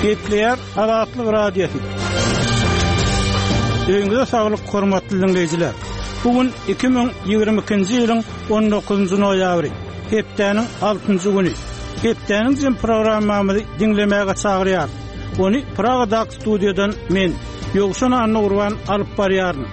Gepleýär Azatlyk Radiosy. Öýüňize saglyk, hormatly diňleýjiler! Bu gün 2022-nji ýylyň 19-njy noýabry, hepdäniň altynjy güni. Hepdäniň jem programmamyzy diňlemäge çagyrýarys. Ony Pragadaky studiýadan men, Ýowşan Annagurban alyp barýaryn.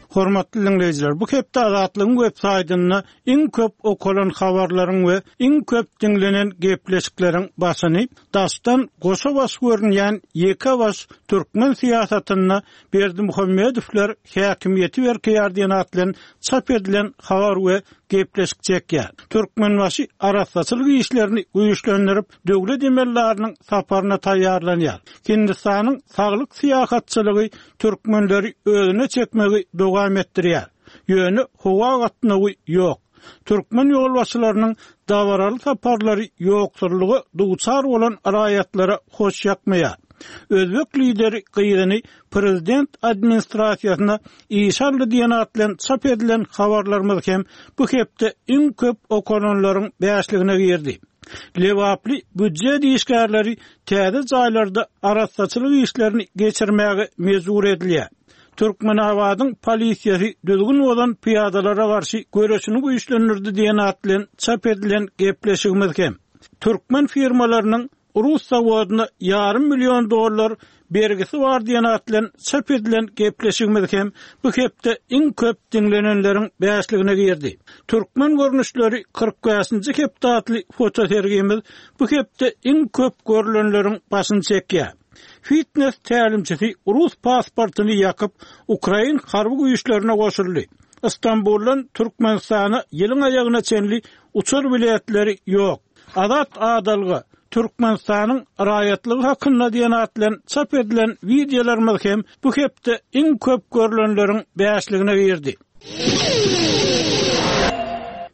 Hormatly diňleýjiler, bu hepde Azatlygyň web saýtynda iň köp okalan habarlaryň we iň köp diňlenen gepleşikleriň başyny daşdan goşa baş görünýän ýeke baş türkmen syýasatynda Berdimuhamedowlar häkimiýeti berkeýär diýen at bilen çap edilen habar we gepleşik çekýär. Türkmenbaşy arassaçylyk işlerini güýçlendirip, döwlet emeldarynyň saparyna taýýarlanýar. Hindistanyň saglyk syýahatçylygy türkmenleri özüne çekmegi dowam etdirýär. Ýöne howa gatnawy ýok. Türkmen ýolbaşçylarynyň dabaraly saparlary ýoksullyga duçar bolan raýatlara hoş ýakmaýar. Özbek lideri gyzyny prezident administrasiýasyna işe aldy diýen at bilen çap edilen habarlarymyz hem bu hepde iň köp okalanlaryň bäşligine girdi. Lebaply býujet işgärleri täze jaýlarda arassaçylyk işlerini geçirmäge mejbur edilýär. Türkmenabadyň polisiýasy düzgün bozan pyýadalara garşy göreşini güýçlendirdi diýen at bilen çap edilen gepleşigimiz hem türkmen firmalarynyň rus zawodyna ýarym million dollar bergisi bar diýen at bilen çap edilen gepleşigimiz hem bu hepde iň köp diňlenenleriň bäşligine girdi. Türkmen görnüşleri 45-nji hepde atly fotosergimiz bu hepde iň köp görlenleriň başyny çekýär. Fitnes tälimçisi rus pasportyny ýakyp, ukrain harby güýçlerine goşuldy. Stambuldan Türkmenistana ýylyň aýagyna çenli uçar biletleri ýok. Azat adalga, Türkmenistanyň raýatlygy hakynda diýen at bilen çap edilen wideolarymyz hem bu hepde iň köp görlenleriň bäşligine girdi.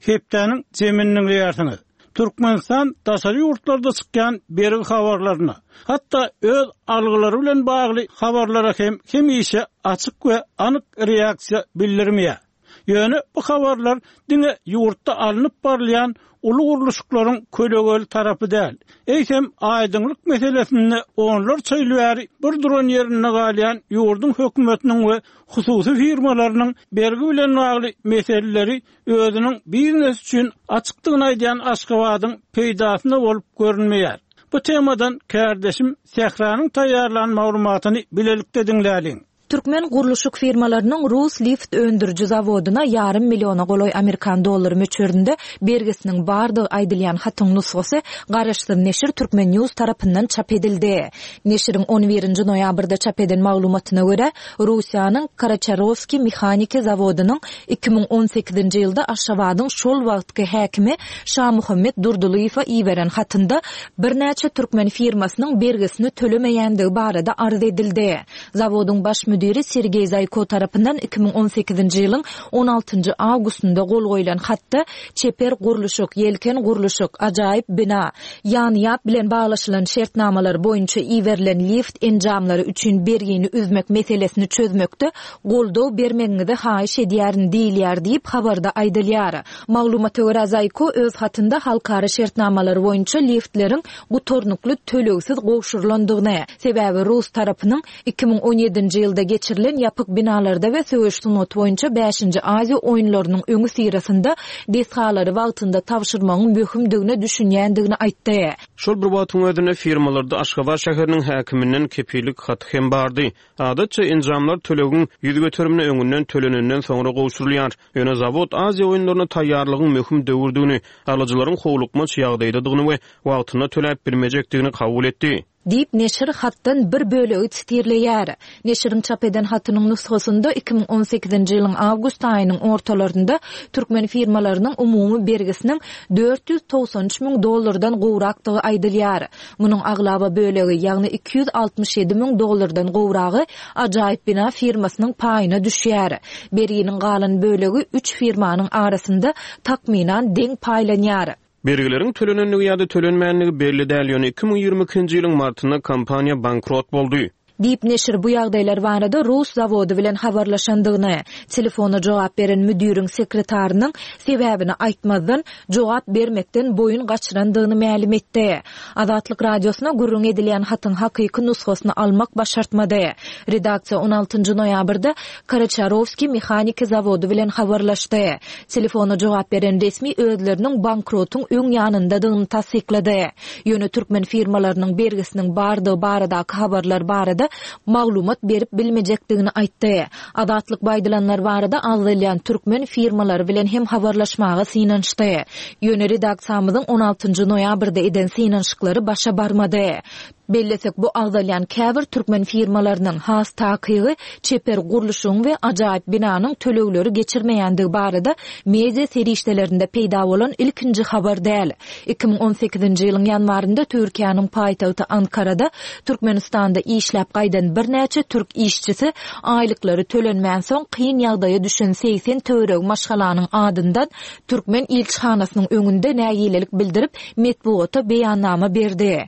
Hepdäniň jemini diňleýärsiňiz. Türkmenistan daşary ýurtlarda çykýan bergi habarlaryna, hatda öz algylary bilen bagly habarlara hem hemişe açyk we anyk reaksiýa bildirmeýär. Ýöne bu habarlar diňe ýurtda alnyp barylýan uly gurluşyklaryň kölegeli tarapy däl, eýsem, aýdyňlyk meselesinde onlarça ýyl bäri bir duran ýerinde galýan ýurduň hökümetiniň we hususy firmalarynyň bergi bilen bagly meseleleri özüniň biznes üçin açykdygyny aýdýan Aşgabadyň peýdasyna bolup görünmeýär. Bu temadan kärdeşim Sähranyň taýýarlan maglumatyny bilelikde diňläliň. Türkmen gurluşyk firmalarynyň rus lift öndüriji zawodyna ýarym milliona golaý amerikan dollary möçberinde bergisiniň bardygy aýdylýan hatyň nusgasy garaşsyz neşir Turkmen News tarapyndan çap edildi. Neşiriň on birinji noýabrda çap eden maglumatyna görä, Russiýanyň Karaçarowskiý mehaniki zawodynyň 2018-nji ýylda Aşgabadyň şol wagtky häkimi Şamuhammet Durdylyýewe iberen hatynda birnäçe türkmen firmasynyň bergisini tölemeýändigi barada arz edildi. Zawodyň baş müdiri Sergeý Zaýko tarapyndan 2018-nji ýylyň on altynjy awgustynda gol goýlan hatda Çeper gurluşyk, Ýelken gurluşyk, Ajaýyp bina, Ýanýap bilen baglaşylan şertnamalar boýunça iberilen lift enjamlary üçin bergini üzmek meselesini çözmekde goldaw bermegiňizi haýyş edýärin diýilýär diýip, habarda aýdylýar. Maglumata görä, Zaýko öz hatynda halkara şertnamalary boýunça liftleriň gutarnykly tölegsiz gowşurylandygyny, sebäbi rus tarapynyň 2017-nji ýylda geçirilen ýapyk binalarda we söweş sungaty boýunça bäşinji Aziýa oýunlarynyň öňüsyrasynda desgalary wagtynda tabşyrmagyň möhümdigine düşünýändigini aýtdy. Şol bir wagtyň özünde firmalarda Aşgabat şäheriniň häkiminden kepillik haty hem bardy. Adatça, enjamlar tölegiň ýüz göterimini öňünden tölenenden soňra gowşurylýar. Ýöne zawod Aziýa oýunlaryna taýýarlygyň möhüm döwürdigini, alyjylaryň howlukmaç ýagdaýdadygyny we wagtynda töläp bilmejekdigini kabul etdi. Diýip, neşir hatdan bir bölegi sitirleýär. Neşiriň çap eden hatynyň nusgasynda 2018-nji ýylyň awgust aýynyň ortalarynda türkmen firmalarynyň umumy bergisiniň 493 müň dollardan gowrakdygy aýdylýar. Munuň aglaba bölegi, ýagny 267 müň dollardan gowragy Ajaýyp bina firmasynyň paýyna düşýär. Berginiň galan bölegi üç firmanyň arasynda takmynan deň paýlanýar. Bergileriň tölenendigi ýa-da tölenmändigi belli däl, ýöne 2022-nji ýylyň martynda kompaniýa bankrot boldy. Diýip, neşir bu ýagdaýlar barada rus zawody bilen habarlaşandygyny, telefona jogap beren müdiriň sekretarynyň, sebäbini aýtmazdan, jogap bermekden boýun gaçyrandygyny mälim etdi. Azatlyk Radiosyna gürrüň edilýän hatyň hakyky nusgasyny almak başartmady. Redaksiýa on altynjy noýabrda Karaçarowskiý mehaniki zawody bilen habarlaşdy. Telefona jogap beren resmi özleriniň bankrotyň öň ýanyndadygyny tassyklady. Ýöne türkmen firmalarynyň bergisiniň bardygy baradaky habarlar barada maglumat berip bilmejekdigini aýtdy. Azatlyk bu aýdylanlar barada agzalýan türkmen firmalary bilen hem habarlaşmaga synanyşdy. Ýöne redaksiýamyzyň on altynjy noýabrda eden synanyşyklary başa barmady. Bellesek, bu agzalýan käbir türkmen firmalarynyň, has takygy, Çeper gurluşygyň we ajaýyp binanyň tölegleri geçirmeýändigi barada media serişdelerinde peýda bolan ilkinji habar däl. 2018-nji ýylyň ýanwarynda Türkiýäniň paýtagty Ankarada Türkmenistanda işläp gaýdan birnäçe türk işçisi aýlyklary tölenmänsoň kyn ýagdaýa düşen 80 töweregi maşgalanyň adyndan türkmen ilçihanasynyň öňünde nägilelik bildirip, metbugata beýannama berdi.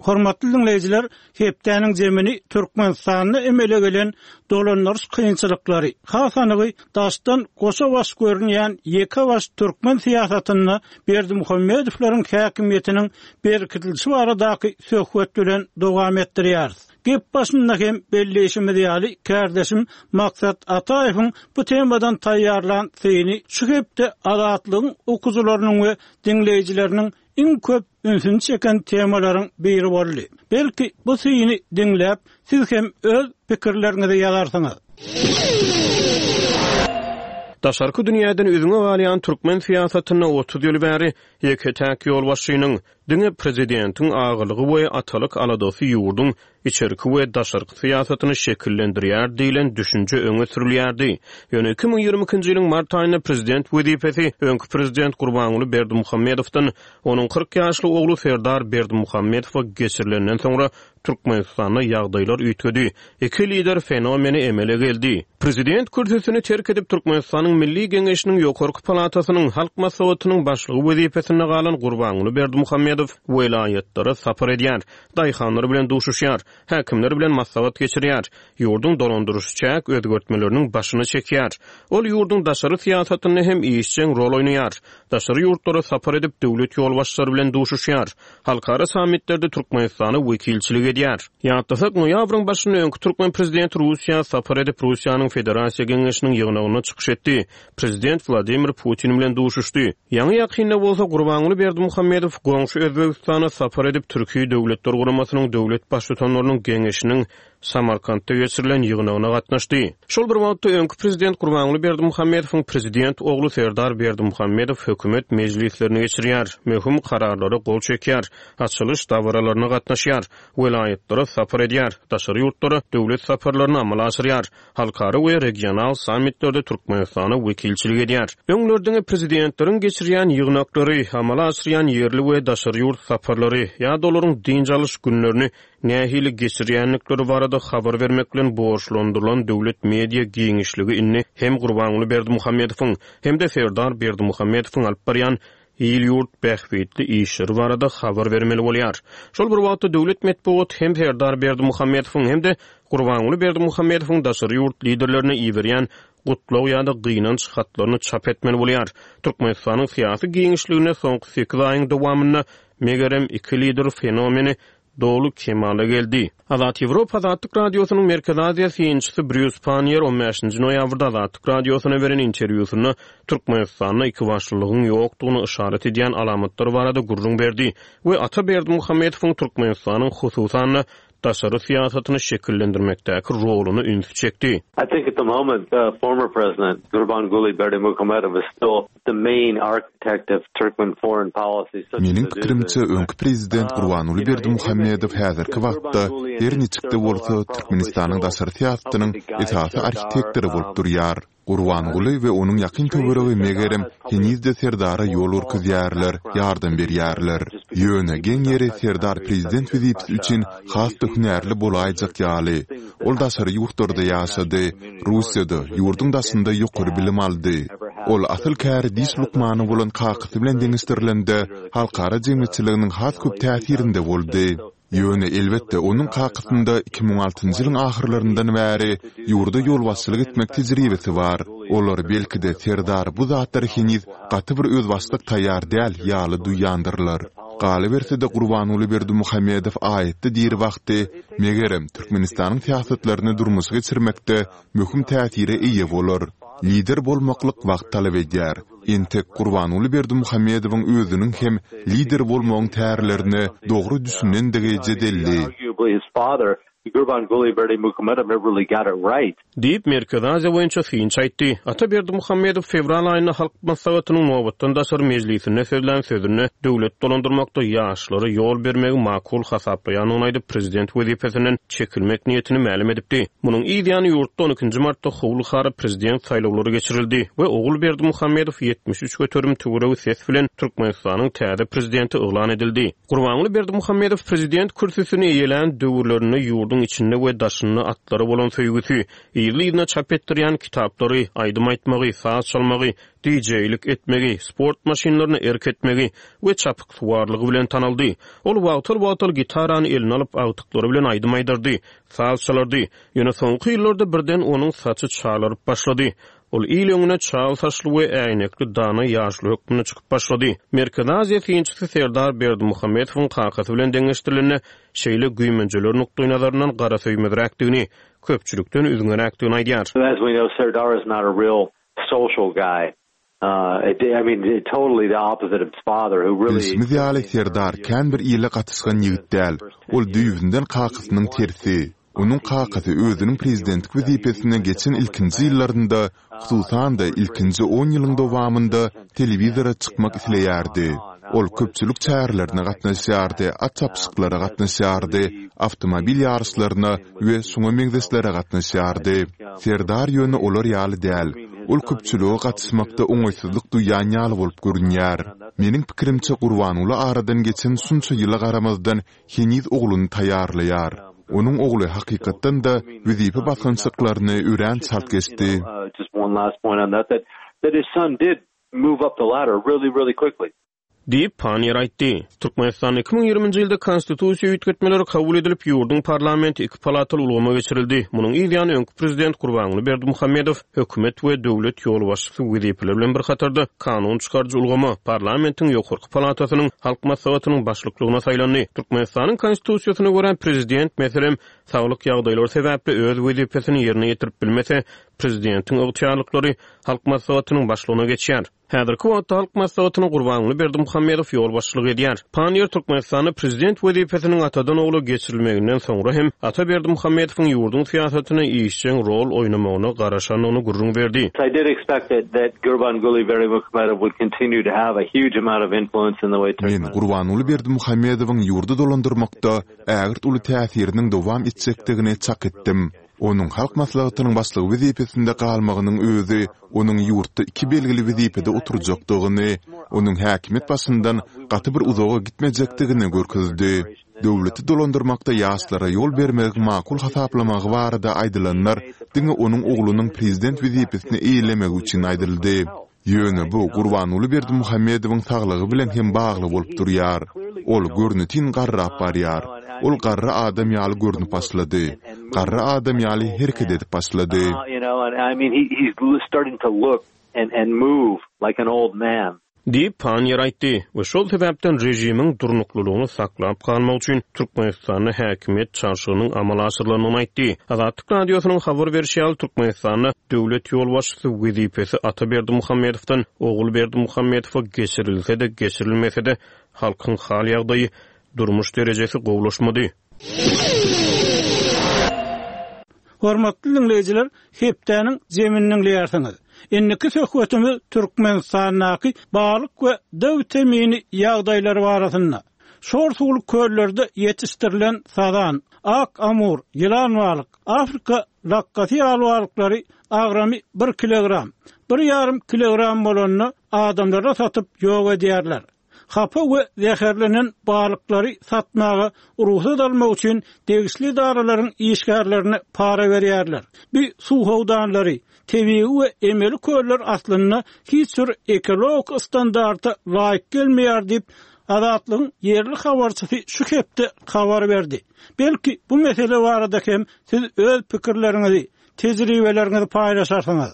Hormatly diňleýjiler, hepdäniň jemini Türkmenistanda emele gelen dolandyryş kynçylyklary, has anygy daşdan goşa baş görünýän ýeke baş türkmen syýasatynda Berdimuhamedowlaryň häkimiýetiniň berkidilişi baradaky söhbet bilen dowam etdirýäris. Gep başynda hem belleýşimiz ýaly, kärdeşim Maksat Ataýewiň bu temadan taýýarlan syny şu hepde Azatlygyň okyjylarynyň we diňleýjileriniň iň köp ünsüni çeken temalaryň biri boldy. Belki, bu syny diňläp, siz hem öz pikirleriňizi ýazarsyňyz. Daşarky dünýäden üzňe galýan türkmen syýasatynda 30 ýyl bäri ýeke-täk ýolbaşçynyň, diňe prezidentiň agalygy we atalyk aladasy ýurduň içerki we daşarky syýasatyny şekillendirýär diýlen düşünje öňe sürülýärdi. Ýöne 2022-nji ýylyň mart aýynda prezident wezipesi öňki prezident Gurbanguly Berdimuhamedowdan onuň 40 ýaşly ogly Serdar Berdimuhamedowa geçirilenden soňra Türkmenistanda ýagdaýlar üýtgedi. Iki lider fenomeni emele geldi. Prezident kürsüsini terk edip, Türkmenistanyň Milli Geňeşiniň ýokarky palatasynyň, Halk Maslahatynyň başlygy wezipesinde galan Gurbanguly Berdimuhamedow welaýatlara sapar edýär. Daýhanlar bilen duşuşýar, häkimler bilen maslahat geçirýär, ýurduň dolandyryş-çäk özgertmeleriniň başyny çekýär. Ol ýurduň daşary syýasatynda hem işjeň rol oýnaýar. Daşary ýurtlara sapar edip, döwlet ýolbaşçylary bilen duşuşýar. Halkara sammitlerde Türkmenistana wekilçilik edýär. Ýatlasak, noýabryň başynda öňki türkmen prezidenti Russiýa sapar edip, Russiýanyň Federasiýa Geňeşiniň ýygnagynda çykyş etdi. Prezident Wladimir Putin bilen duşuşdy. Ýaňy-ýakynda bolsa Gurbanguly Berdimuhamedow goňşy Özbegistana sapar edip, Türki Döwletler Guramasynyň döwlet Baştutanlarynyň Geňeşiniň Samarkantda geçirilen ýygnagyna gatnaşdy. Şol bir wagtda, öňki prezident Gurbanguly Berdimuhamedowyň prezident ogly Serdar Berdimuhamedow hökümet mejlislerini geçirýär, möhüm kararlara gol çekýär, açylyş dabaralaryna gatnaşýar, welaýatlara sapar edýär, daşary ýurtlara döwlet saparlaryny amala aşyrýar. Halkara we regional sammitlerde Türkmenistana wekilçilik edýär. Öňler diňe prezidentleriň geçirýän ýygnaklary, amala aşyrýan ýerli we daşary ýurt saparlary ýa-da olaryň dynç alyş günlerini nähili geçirýändikleri barada habar bermek bilen borçlandyrylan döwlet media giňişligi indi hem Gurbanguly Berdimuhamedowyň, hem-de Serdar Berdimuhamedowyň alyp barýan il-ýurt bähbitli işleri barada habar bermeli bolýar. Şol bir wagtda döwlet metbugaty hem Serdar Berdimuhamedowyň hem-de Gurbanguly Berdimuhamedowyň daşary ýurt liderlerine iberýän gutlag ýa-da gynanç hatlaryny çap etmeli bolýar. Türkmenistanyň syýasy giňişliginde soňky sekiz aýyň dowamynda, megerem, iki lider fenomeni doly kemala geldi. Azat Ýewropa Azatlyk Radiosynyň Merkezi Aziýa synçysy Brýus Panniýer on bäşinji noýabrda Azatlyk Radiosyna beren interwýusynda Türkmenistanda ikibaşlylygyň ýokdugyny yşarat edýän alamatlar barada gürrüň berdi we Ata Berdimuhamedowyň Türkmenistanyň hususan-da daşary syýasatyny şekillendirmekdäki roluna ünsi çekdi. I think at the moment former president Gurbanguly Berdimuhamedow is still the main architect of Turkmen foreign policy such Meniň pikirimçe, öňki prezident Gurbanguly Berdimuhamedow häzirki wagtda, her niçik-de bolsa, Türkmenistanyň daşary syýasatynyň esasy arhitektory bolup durýar. Gurbanguly we onuň ýakyn töweregi megerem, heniz-de Serdara ýol görkezýärler, ýardam berýärler. Ýöne, geň ýeri, Serdar prezident wezipesi üçin has-da hünärli bolaýjak ýaly. Ol daşary ýurtlarda ýaşady, Russiýada, ýurduň daşynda ýokary bilim aldy. Ol asyl käri diş lukmany bolan kakasy bilen deňeşdirilende, halkara jemgyýetçiliginiň has köp täsirinde boldy. Ýöne, elbetde, onuň kakasynda 2006-njy ýylyň ahyrlaryndan bäri ýurda ýolbaşçylyk etmek tejribesi bar. Olar, belki-de, Serdar bu zatlara heniz gaty bir özbaşdak taýýar däl ýaly duýýandyrlar. Galyberse-de, Gurbanguly Berdimuhamedow aýatda diri wagty, megerem, Türkmenistanyň syýasatlaryny durmuşa geçirmekde möhüm täsire eýe bolar. Lider bolmaklyk wagt talap edýär. Entek Gurbanguly Berdimuhamedowyň özüniň hem lider bolmagyň tärlerine dogry düşünendigi jedelli. Diýip, Merkezi Aziýa boýunça synçy aýtdy. Ata Berdimuhamedow fewral aýynda Halk Maslahatynyň nobatdan daşary mejlisinde sözlän sözünde döwlet dolandyrmakda ýaşlara ýol bermegi makul hasaplaýandygyny aýdyp, prezident wezipesinden çekilmek niýetini mälim edipdi. Munuň yz ýany ýurtda on ikinji martda howly-hara prezident saýlawlary geçirildi we Ogul Berdimuhamedow 73% töweregi ses bilen Türkmenistanyň täze prezidenti yglan edildi. Gurbanguly Berdimuhamedow prezident kürsüsini eýelän döwürlerinde ýurduň içinde we daşynda atlara bolan söýgüsi, yzly-yzyna çap etdirýän kitaplary, aýdym aýtmagy, saz çalmagy, dijeýlik etmegi, sport maşynlaryna erk etmegi we çapyksuwarlygy bilen tanaldy. Ol wagtal-wagtal gitarany eline alyp, agtyklary bilen aýdym aýdardy, saz çalardy. Ýöne soňky ýyllarda birden onuň saçy çalaryp başlady. Ol il öňüne çal saçly we äýnekli dana ýaşuly hökmünde çykyp başlady. Merkezi Aziýa synçysy Serdar Berdimuhamedowyň kakasy bilen deňeşdirilende, şeýle güýmenjeler nukdaýnazaryndan garasöýmezräkdigini, köpçülikden üzňeräkdigini aýdýar. As we know, Serdar is not a real social guy. I mean, totally the opposite of his father, who really. Bilşimiz ýaly, Serdar kän bir ile gatyşgan ýigit däl. Ol düýbünden kakasynyň tersi. Onuň kakasy özüniň prezidentlik wezipesine geçen ilkinji ýyllarynda, hususan-da, ilkinji on ýylyň dowamynda telewizora çykmak isleýärdi. Ol köpçülik çärelerine gatnaşýardy, at çapyşyklara gatnaşýardy, awtomobil ýaryşlaryna we şuňa meňzeşlere gatnaşýardy. Serdar ýöne olar ýaly däl. Ol köpçülige gatyşmakda oňaýsyzlyk duýýan ýaly bolup görünýär. Meniň pikirimçe, Gurbanguly aradan geçen şunça ýyla garamazdan heniz ogluny taýýarlaýar. Onuň ogly hakykatdan-da wezipe basgançaklaryny örän çalt geçdi. Diýip, Panniýer aýtdy. Türkmenistanda 2020-nji ýylda Konstitusiýa üýtgetmeleri kabul edilip, ýurduň parlamenti iki palataly ulgama geçirildi. Munuň yz ýany öňki prezident Gurbanguly Berdimuhamedow hökümet we döwlet ýolbaşçysy wezipeleri bilen bir hatarda kanun çykaryjy ulgama, parlamentiň ýokarky palatasynyň, Halk Maslahatynyň başlyklygyna saýlandy. Türkmenistanyň Konstitusiýasyna görä, prezident, meselem, saglyk ýagdaýlary sebäpli öz wezipesini ýerine ýetirip bilmese, prezidentiň ygtyýarlyklary Halk Maslahatynyň başlygyna geçýär. Häzirki wagtda Halk Maslahatyna Gurbanguly Berdimuhamedow ýolbaşçylyk edýär. Panniýer Türkmenistanda prezident wezipesiniň atadan ogla geçirilmeginden soňra hem Ata Berdimuhamedowyň ýurduň syýasatynda işjeň rol oýnamagyna garaşandygyny gürrüň berdi. I did expect that that Gurbanguly Berdimuhamedow would continue to have a huge amount of influence in the way Men Gurbanguly Berdimuhamedowyň ýurdy dolandyrmakda ägirt uly täsiriniň dowam etjekdigini çak etdim. Onuň Halk Maslahatynyň Başlygy wezipesinde galmagynyň özi onuň ýurtda iki belgili wezipede oturjakdygyny, onuň häkimiýet başyndan gaty bir uzaga gitmejekdigini görkezdi. Döwleti dolandyrmakda ýaşlara ýol bermegiň makul hasaplamagy barada aýdylanlar diňe onuň oglunyň prezident wezipesini eýelemegi üçin aýdyldy. Ýöne bu Gurbanguly Berdimuhamedowyň saglygy bilen hem bagly bolup durýar. Ol görnetin garrap barýar. Ol garry adam ýaly görnüp başlady. Garry adam ýaly hereket edip başlady. Diýip, Panniýer aýtdy we şol sebäpden režimiň durnuklylygyny saklap galmak üçin Türkmenistanda häkimiýet çalşygynyň amala aşyrylandygyny aýtdy. Azatlyk Radiosynyň habar berşi ýaly, Türkmenistanda döwlet ýolbaşçysy wezipesi Ata Berdimuhamedowdan Ogul Berdimuhamedowa geçirilse-de, geçirilmese-de, halkyň hal-ýagdaýy, durmuş derejesi gowulaşmady. Hormatly diňleýjiler, hepdäniň jemini diňleýärsiňiz. Indiki söhbetimiz Türkmenistandaky balyk we D witamini ýagdaýlary barasynda. Şor suwly köllerde ýetişdirilen sazan, ak amur, ýylan balyk, Afrika lakgasy ýaly balyklary agramy bir kilogram, bir ýarym kilogram bolanda adamlara satyp ýok edýärler. Hapa we zäherlenen balyklary satmaga rugsat almak üçin degişli edaralaryň işgärlerine para berýärler. Bu suw howdanlary, tebigy we emeli köller aslynda hiç bir ekologik standarta laýyk gelmeýär diýip, Azatlygyň ýerli habarçysy şu hepde habar berdi. Belki, bu mesele barada hem siz öz pikirleriňizi, tejribeleriňizi paýlaşarsyňyz.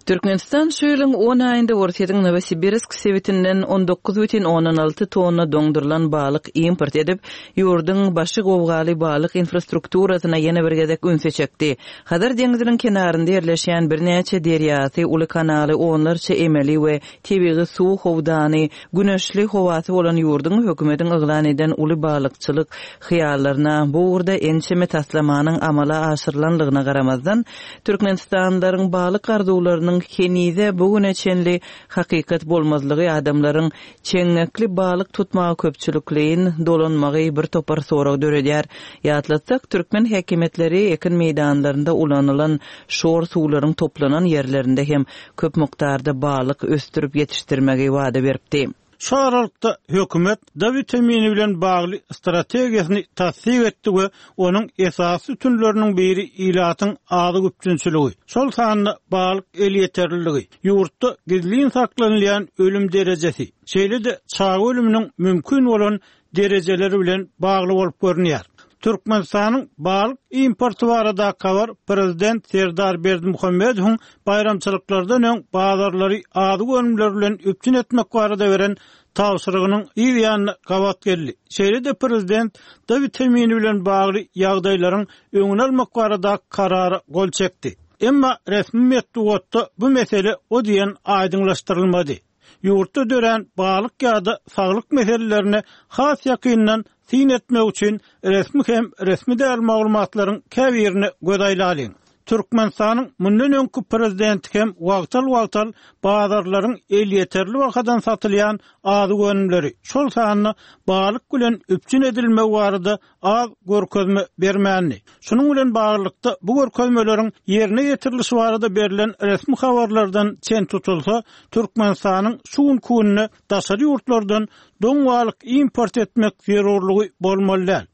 Türkmenistan şu ýylyň on aýynda Orsýetiň Nowosibirsk sebitinden 19,6 tonna doňdurylan balyk import edip, ýurduň başy gowgaly balyk infrastrukturasyna ýene bir gezek ünsi çekdi. Hazar deňziniň kenarynda ýerleşýän birnäçe derýasy, uly kanaly, onlarça emeli we tebigy suw howdany, güneşli howasy bolan ýurduň hökümetiň yglan eden uly balykçylyk hyýallaryna bu ugurda ençeme taslamanyň amala aşyrylanlygyna garamazdan, türkmenistanlylaryň balyk arzuwlarynyň henize bu güne çenli hakykat bolmazlygy adamlaryň çeňňekli balyk tutmaga köpçülikleýin dolanmagy bir topar sorag döredýär. Ýatlatsak, türkmen häkimiýetleri ekin meýdanlarynda ulanylan şor suwlaryň toplanan ýerlerinde hem köp mukdarda balyk ösdürip ýetişdirmegi wada beripdi. Şu aralykda, hökümet D witamini bilen bagly strategiýasyny tassyk etdi we onuň esasy sütünleriniň biri ilatyň azyk üpjünçiligi, şol sanda balyk elýeterliligi, ýurtda gizlin saklanylýan ölüm derejesi, şeýle-de çaga ölüminiň mümkin bolan derejeleri bilen bagly bolup görünýär. Türkmenistanyň balyk importy baradaky habar prezident Serdar Berdimuhamedowyň baýramçylyklardan öň bazarlary azyk önümleri bilen üpjün etmek barada beren tabşyrygynyň yz ýanyna gabat geldi. Şeýle-de prezident D witamini bilen bagly ýagdaýlaryň öňüni almak baradaky karara gol çekdi. Emma resmi metbugatda bu mesele o diýen aýdyňlaşdyrylmady. Ýurtda dörän balyk ýa-da saglyk meselelerine has ýakyndan syn etmek üçin resmi hem resmi däl maglumatlaryň käbirine göz aýlalyň. Türkmenistanyň mundan öňki prezidenti hem wagtal-wagtal bazarlaryň elýeterli bahadan satylýan azyk önümleri, şol sanda balyk bilen üpjün edilmegi barada az görkezme bermändi. Şunuň bilen baglylykda, bu görkezmeleriň ýerine ýetirilişi barada berlen resmi habarlardan çen tutulsa, Türkmenistanyň şu günki günde daşary ýurtlardan doň balyk import etmek zerurlygy bolmaly däl.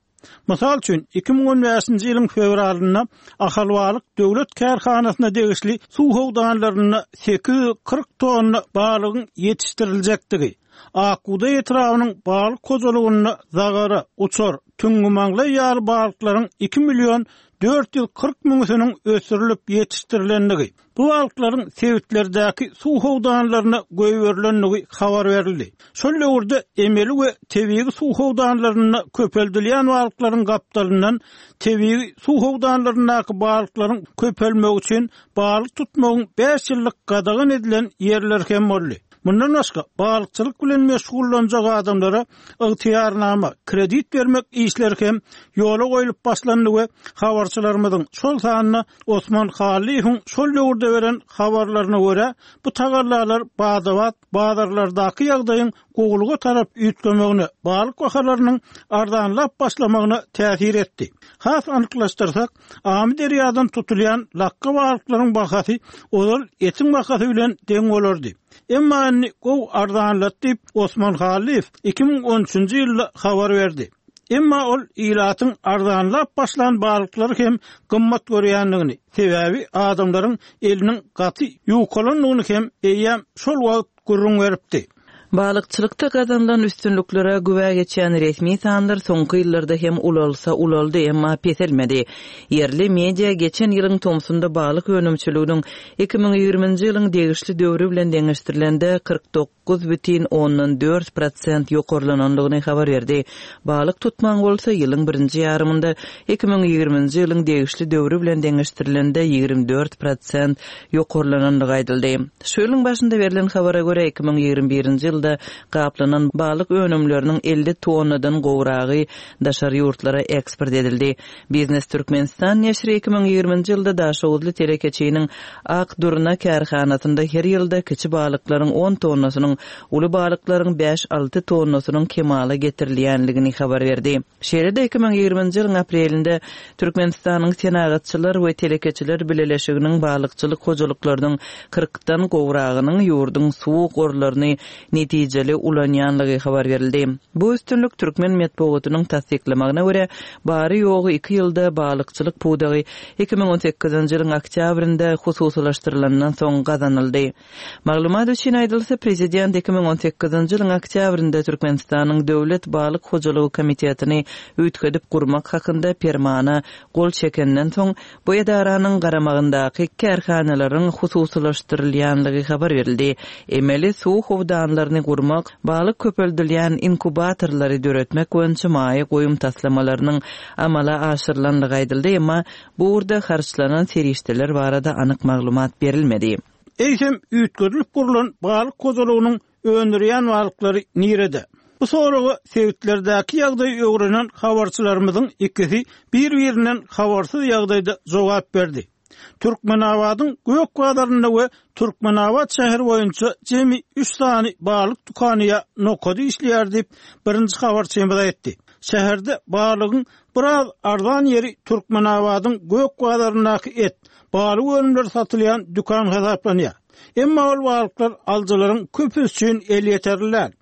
Mysal üçin, 2015-nji ýylyň fewralynda Ahalbalyk döwlet kärhanasyna degişli suw howdanlarynda 840 tonna balygyň ýetişdiriljekdigi, Akbugdaý etrabynyň balyk hojalygynda zagara, uçar, tüňňümaňlaý ýaly balyklaryň 2 million 440 müňüsiniň ösdürilip ýetişdirilendigi, bu balyklaryň sebitlerdäki suw howdanlaryna goýberilendigi habar berildi. Şol döwürde emeli we tebigy suw howdanlarynda köpeldilýän balyklaryň gapdalyndan tebigy suw howdanlaryndaky balyklaryň köpelmegi üçin balyk tutmagyň bäş ýyllyk gadagan edilen ýerleri hem boldy. Mundan başga, balykçylyk bilen meşgullanjak adamlara ygtyýarnama, kredit bermek işleri hem ýola goýlup başlandy we habarçylarymyzyň, şol sanda Osman Hallyýewiň şol döwürde beren habarlaryna görä, bu tagallalar bada-bat bazarlardaky ýagdaýyň gowulyga tarap üýtgemegine, balyk bahalarynyň arzanlap başlamagyna täsir etdi. Has anyklaşdyrsak, Amyderýadan tutulýan lakga balyklaryň bahasy ozal etiň bahasy bilen deň bolardy. Emma indi gowy arzanlady diýip, Osman Hallyýew 2013-nji ýylda habar berdi. Emma ol ilatyň arzanlap başlan balyklary hem gymmat görýändigini, sebäbi adamlaryň eliniň gaty ýukalandygyny hem eýýäm şol wagt gürrüň beripdi. Balykçylykda gazanylan üstünliklere güwä geçýän resmi sanlar soňky ýyllarda hem ulalsa ulaldy, emma peselmedi. Ýerli media geçen ýylyň tomsunda balyk önümçiliginiň 2020-nji ýylyň degişli döwri bilen deňeşdirilende 49,4 prosent ýokarlanandygyny habar berdi. Balyk tutmagyň bolsa ýylyň birinji ýarymynda 2020-nji ýylyň degişli döwri bilen deňeşdirilende 24 prosent ýokarlanandygy aýdyldy. Şu ýylyň başynda berlen habara görä, 2021-nji ýylda gaplanan balyk önümleriniň 50 tonnadan gowragy daşary ýurtlara eksport edildi. Biznes Türkmenistan neşiri 2020-nji ýylda daşoguzly telekeçiniň Ak durna kärhanasynda her ýylda kiçi balyklaryň on tonnasynyň, uly balyklaryň bäş-alty tonnasynyň kemala getirilýändigini habar berdi. Şeýle-de 2020-nji ýylyň aprelinde Türkmenistanyň Senagatçylar we telekeçiler bileleşiginiň balykçylyk hojalyklarynyň kyrkdan gowragynyň ýurduň suw gorlaryny netijeli. netijeli ulanýanlygy habar berildi. Bu üstünlik türkmen metbugatynyň tassyklamagyna görä, bary-ýogy iki ýylda balykçylyk pudagy 2018-nji ýylyň oktýabrynda hususylaşdyrylandan soň gazanyldy. Maglumat üçin aýdylsa, prezident 2018-nji ýylyň oktýabrynda Türkmenistanyň Döwlet balyk hojalygy komitetini üýtgedip gurmak hakynda Permana gol çekenden soň, bu edaranyň garamagyndaky kärhanalaryň hususylaşdyrylýanlygy habar berildi. Emeli suw howdanlaryny gurmak, balyk köpeldilýän inkubatorlary döretmek boýunça maýa goýum taslamalarynyň amala aşyrylanlygy aýdyldy, emma bu ugurda harçlanan serişdeler barada anyk maglumat berilmedi. Eýsem, üýtgedilip gurlan balyk hojalygynyň öndürýän balyklary nirede? Bu soraga sebitlerdäki ýagdaýy öwrenen habarçylarymyzyň ikisi bir-birinden habarsyz ýagdaýda jogap berdi. Türkmenabadyň Gök bazarynda we Türkmenabat şäheri boýunça jemi üç sany balyk dükany ýa nokady işleýär diýip, birinji habarçymyz aýtdy. Şäherde balygyň biraz arzan ýeri Türkmenabadyň Gök bazaryndaky et, balyk önümleri satylýan dükan hasaplanýar. Emma ol balyklar alyjylaryň köpüsi üçin elýeterli däl.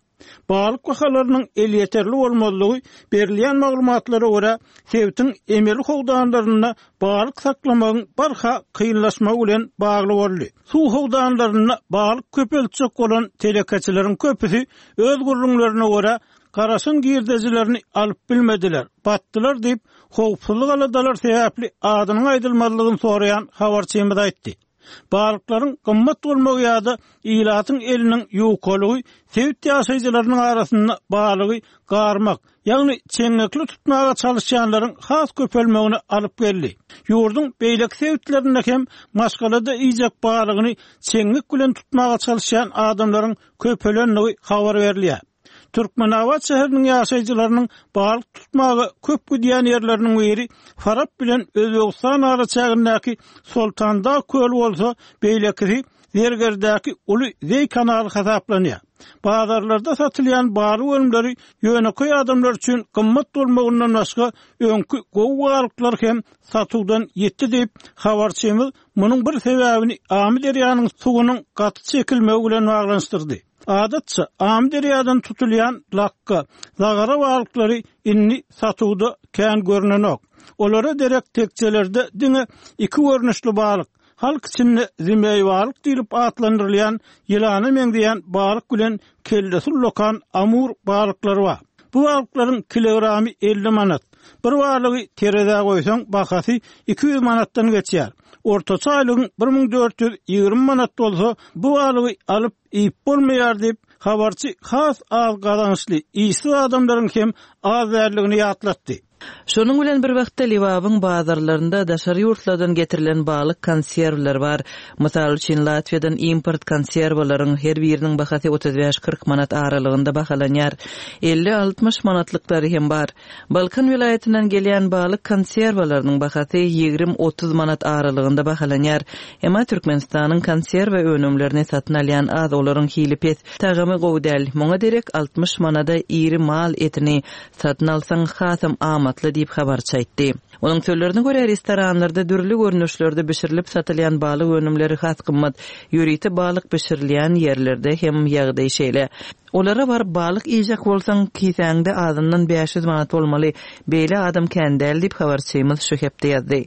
Balyk bahalarynyň elýeterli bolmazlygy berilýän maglumatlara görä, sebitiň emeli howdanlarynda balyk saklamagyň barha kynlaşmagy bilen bagly boldy. Suw howdanlarynda balyk köpeltjek bolan telekeçileriň köpüsi öz gürrüňlerine görä, garaşan girdejilerini alyp bilmediler, batdylar diýip, howpsuzlyk aladalary sebäpli adynyň aýdylmazlygyny soraýan habarçymyz aýtdy. Balyklaryň gymmat bolmagy ýa-da ilatyň eliniň ýukalygy sebit ýaşaýjylarynyň arasynda balygy garmak, ýagny çeňňekli tutmaga çalyşýanlaryň has köpelmegine alyp geldi. Ýurduň beýleki sebitlerinde hem maşgalada iýjek balygyny çeňňek bilen tutmaga çalyşýan adamlaryň köpelendigi habar berilýär. Türkmenabat şäheriniň ýaşaýjylarynyň balyk tutmaga köp gidýän ýerleriniň biri Farap bilen Özbegistan araçägindäki Soltandag köli bolsa, beýlekisi Zergerdäki uly zeý kanaly hasaplanýar. Bazarlarda satylýan balyk önümleri ýönekeý adamlar üçin gymmat bolmagyndan başga, öňki gowy balyklar hem satuwdan ýitdi diýip, habarçymyz munuň bir sebäbini Amyderýanyň suwunyň gaty çekilmegi bilen baglanyşdyrdy. Adatça, Amyderýadan tutulýan lakga, zagara balyklary indi satuwda kän görnenok. Olara derek tekjelerde diňe iki görnüşli balyk, halk içinde zimeý balyk diýlip atlandyrylýan ýylana meňzeýän balyk bilen kellesi ullakan amur balyklary bar. Bu balyklaryň kilogramy 50 manat. Bir balygy terezä goýsaň, bahasy 200 manatdan geçýär. Ortaça aýlygyň 1420 manat bolsa, bu balygy alyp iýip bolmaýar diýip, habarçy has az gazançly işsiz adamlaryň hem az däldigini ýatlatdy. Şonuň bilen bir wagtda, Lebabyň bazarlarynda daşary ýurtlardan getirilen balyk konserwleri bar. Mysal üçin, Latwiýadan import konserwalaryň her biriniň bahasy 35-40 manat aralygynda bahalanýar. 50-60 manatlyklary hem bar. Balkan welaýatyndan gelýän balyk konserwalarynyň bahasy 20-30 manat aralygynda bahalanýar. Emma Türkmenistanyň konserwa önümlerini satyn alýan az, olaryň hili pes, tagamy gowy däl. Muňa derek 60 manada iri mal etini satyn alsaň hasam amatly diýip, habarçy aýtdy. Onuň sözlerine görä, restoranlarda dürli görnüşlerde bişirilip satylýan balyk önümleri has gymmat. Ýörite balyk bişirilýän ýerlerde hem ýagdaý şeýle. Olara baryp balyk iýjek bolsaň, kisäňde azyndan 500 manat bolmaly. Beýle adam kän däl diýip, habarçymyz şu hepde ýazdy.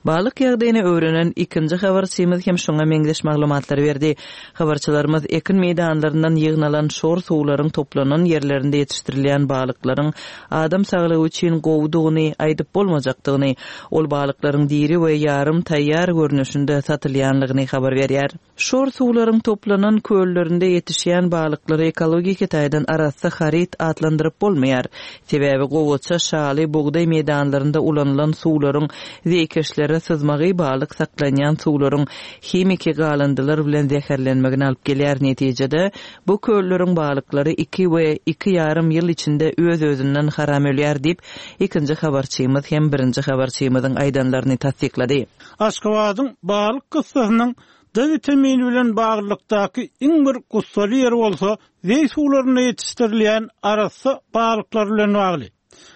Balyk ýagdaýyny öwrenen ikinji habarçymyz hem şuňa meňzeş maglumatlary berdi. Habarçylarymyz ekin meýdanlaryndan ýygnalan şor suwlaryň toplanan ýerlerinde ýetişdirilýän balyklaryň adam saglygy üçin gowudygyny aýdyp bolmajakdygyny, ol balyklaryň diri we ýarym taýýar görnüşinde satylýanlygyny habar berýär. Şor suwlaryň toplanan köllerinde ýetişýän balyklary ekologiki taýdan arassa haryt atlandyryp bolmaýar. Sebäbi gowaça, şaly, bugdaý meýdanlarynda ulanylan suwlaryň zeýkeşlere syzmagy balyk saklanýan suwlaryň himiki galyndylar bilen zäherlenmegine alyp gelýär. Netijede, bu kölleriň balyklary iki we iki ýarym ýyl içinde öz-özünden haram ölýär diýip, ikinji habarçymyz hem birinji habarçymyzyň aýdanlaryny tassyklady. Aşgabadyň balyk kyssasynyň D witamini bilen baglylykdaky iň bir gussaly ýeri bolsa zeý suwlarynda ýetişdirilýän arassa balyklar bilen bagly.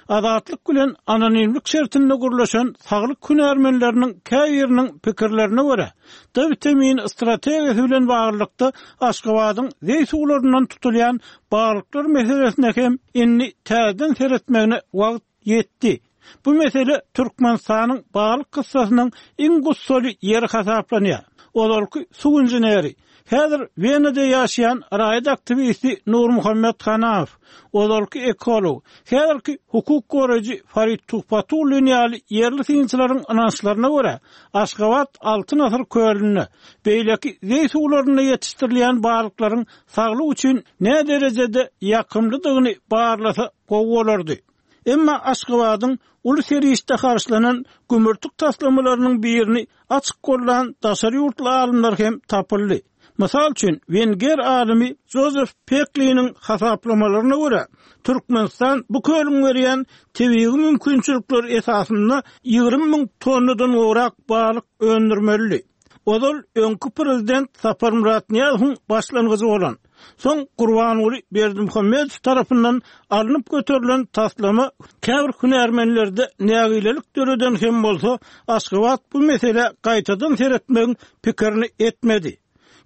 Azatlyk bilen anonimlik şertinde gürleşen saglyk hünärmenleriniň käbiriniň pikirlerine görä, D witamini strategiýasy bilen baglylykda Aşgabadyň zeý suwlaryndan tutulýan balyklar meselesine hem indi täzeden seretmegine wagt ýetdi. Bu mesele Türkmenistanyň balyk kyssasynyň iň gussaly ýeri hasaplanýar. Ozalky suw inženeri, häzir Wenada ýaşaýan raýat aktiwisti Nurmuhammet Hanamow, ozalky ekolog, häzirki hukuk goraýjy Farid Tuhbatullin ýaly ýerli synçylaryň ynançlaryna görä, Aşgabat Altyn asyr kölünde, beýleki zeý suwlarynda ýetişdirilýän balyklaryň saglyk üçin näderejede ýakymlydygyny barlasa gowy bolardy. Emma Aşgabadyň uly serişde harçlanan gümürtik taslamalarynyň birini açyk gollan daşary ýurtly alymlar hem tapyldy. Mysal üçin, wenger alymy Jozef Pekliniň hasaplamalaryna görä, Türkmenistan bu kölüň berýän tebigy mümkinçilikleri esasynda 20 müň tonnadan gowrak balyk öndürmelidi. Ozal öňki prezident Saparmyrat Nyýazowyň başlangyjy bolan, soň Gurbanguly Berdimuhamedow tarapyndan alnyp göterilen taslama käbir hünärmenlerde nägilelik döreden hem bolsa, Aşgabat bu meselä gaýtadan seretmegiň pikirini etmedi.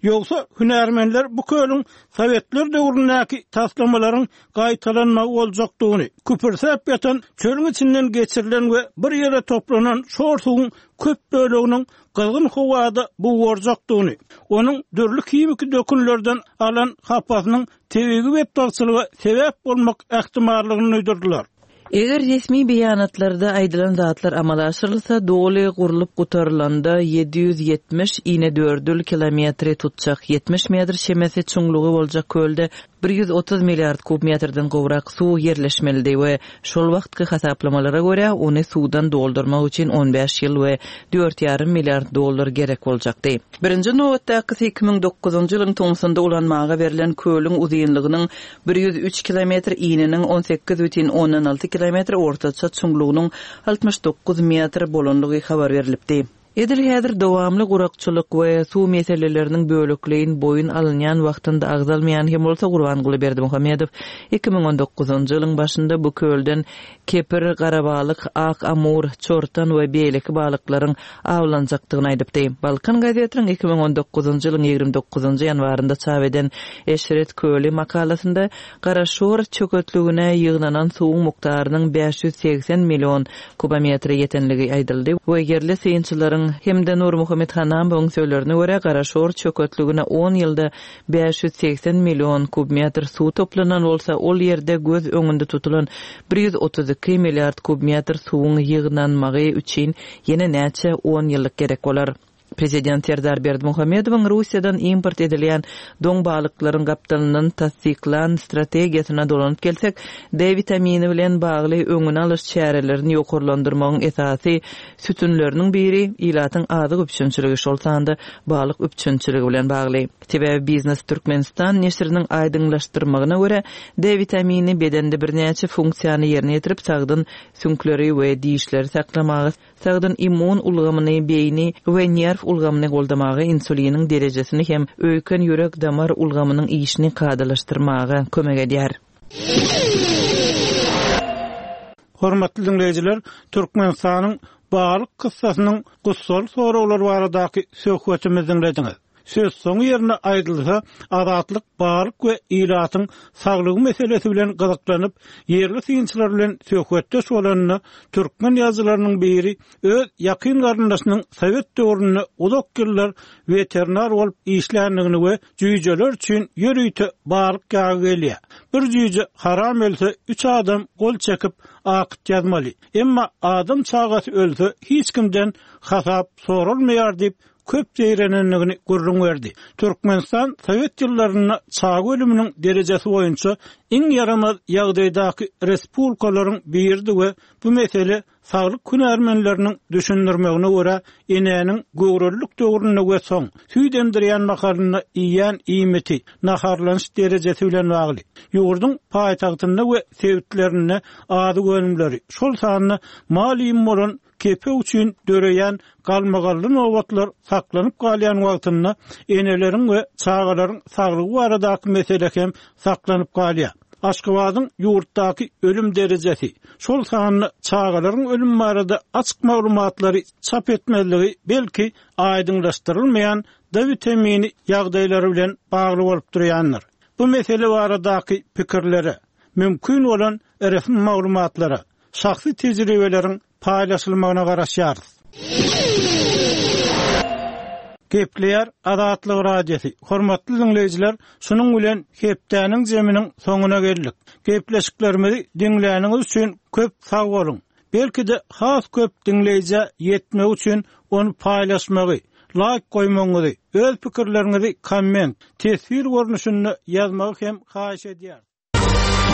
Ýogsa, hünärmenler bu kölüň sowetler döwründäki taslamalaryň gaýtalanmagy boljakdygyny, küpürsäp ýatan çölüň içinden geçirilen we bir ýere toplanan şor suwuň köp böleginiň gyzgyn howada bugarjakdygyny, onuň dürli himiki dökünlerden alan hapasynyň tebigy betbagtçylyga sebäp bolmak ähtimallygyny duýdurdylar. Eger resmi beýanatlarda aýdylan zatlar amala aşyrylsa, doly gurlup gutarylanda 770 inedördül kilometri tutjak, 70 metr çemesi çuňlugy boljak kölde 130 milliard kub metrden gowrak suw ýerleşmelidi we şol wagtky hasaplamalara görä, ony suwdan doldurmak üçin on bäş ýyl we dört ýarym milliard dollar gerek boljakdy. Birinji nobatdakysy 2009-njy ýylyň tomsunda ulanmaga berlen kölüň uzynlygynyň 103 kilometr, ininiň 18,6 kilometr, ortaça çuňlugynyň 69 metr bolandygy habar berlipdi. Edil häzir dowamly gurakçylyk we suw meseleleriniň bölekleýin boýun alynýan wagtynda agzalmaýan hem bolsa Gurbanguly Berdimuhamedow 2019-njy ýylyň başynda bu kölden kepir, garabalyk, ak amur, çortan we beýleki balyklaryň awlanjakdygyny aýdypdy. Balkan gazetiniň 2019-njy ýylyň 29-njy ýanwarynda çap eden Eşret köli makalasynda Garaşor çöketligine ýygnanan suwuň mukdarynyň 580 million kubometre ýetenligi aýdyldy we ýerli synçylaryň hem-de Nurmuhammet Hanamowyň sözlerine görä, Garaşor çöketligine on ýylda 580 million kubmetr suw toplanan bolsa, ol ýerde göz öňünde tutulan 132 milliard kubmetr suwuň ýygnanmagy üçin ýene näçe on ýyllyk gerek bolar. Prezident Serdar Berdimuhamedowyň Russiýadan import edilýän doň balyklaryň gapdalyndan tassyklan strategiýasyna dolanyp gelsek, D witamini bilen bagly öňüni alyş çärelerini ýokarlandyrmagyň esasy sütünleriniň biri ilatyň azyk üpjünçiligi, şol sanda balyk üpjünçiligi bilen bagly. Sebäbi Biznes Türkmenistan neşiriniň aýdyňlaşdyrmagyna görä, D witamini bedende birnäçe funksiýany ýerine ýetirip, sagdyn süňkleri we dişleri saklamaga, Sagdyn immun ulgamyny, beýni we nerw ulgamyny goldamaga, insuliniň derejesini hem öýken-ýürek-damar ulgamynyň işini kadalaşdyrmaga kömek edýär. Hormatly diňleýjiler, Türkmenistanyň balyk kyssasynyň gussaly soraglary baradaky söhbetimizi diňlediňiz. Sözsoňy ýerinde aýdylsa, Azatlyk balyk we ilatyň saglygy meselesi bilen gyzyklanyp, ýerli synçylar bilen söhbetdeş bolanda, türkmen ýazyjylarynyň biri öz ýakyn garyndaşynyň sowet döwründe uzak ýyllar weterinar bolup işländigini we jüýjeler üçin ýörite balyk ýagy gelýär. Bir jüýje haram ölse, üç adam gol çekip, akt ýazmaly. Emma adam çagasy ölse, hiç kimden hasap soralmaýar diýip, köp zeýrenendigini gürrüň berdi. Türkmenistan sowet ýyllarynda çaga ölüminiň derejesi boýunça iň ýaramaz ýagdaýdaky respublikalaryň biridi we bu mesele saglyk hünärmenleriniň düşündirmegine görä enäniň göwrelilik döwründe we soň süýt emdirýän mahalynda iýýän iýmiti, naharlanyş derejesi bilen bagly. Ýurduň paýtagtynda we sebitlerinde azyk önümleri, şol sanda mal iými bolan Kepek üçin döreýän galmagally nobatlar saklanyp galýan wagtynda eneleriň we çagalaryň saglygy baradaky mesele hem saklanyp galýar. Aşgabadyň ýurtdaky ölüm derejesi, şol sanda çagalaryň ölümi barada açyk maglumatlary çap etmezligi belki aýdyňlaşdyrylmaýan D witamini ýagdaýlary bilen bagly bolup durýandyr. Bu mesele baradaky pikirlere, mümkin bolan resmi maglumatlara, şahsy tejribeleriň paýlaşylmagyna garaşýarys. Gepleýär Azatlyk Radiosy, Hormatly diňleýjiler, şunuň bilen hepdäniň jeminiň soňuna geldik. Gepleşiklerimizi diňläniňiz üçin köp sag boluň! Belki-de has köp diňleýjä ýetmegi üçin ony paýlaşmagy, laýk goýmagyňyzy, öz pikirleriňizi komment, teswir görnüşinde ýazmagy hem haýyş edýäris.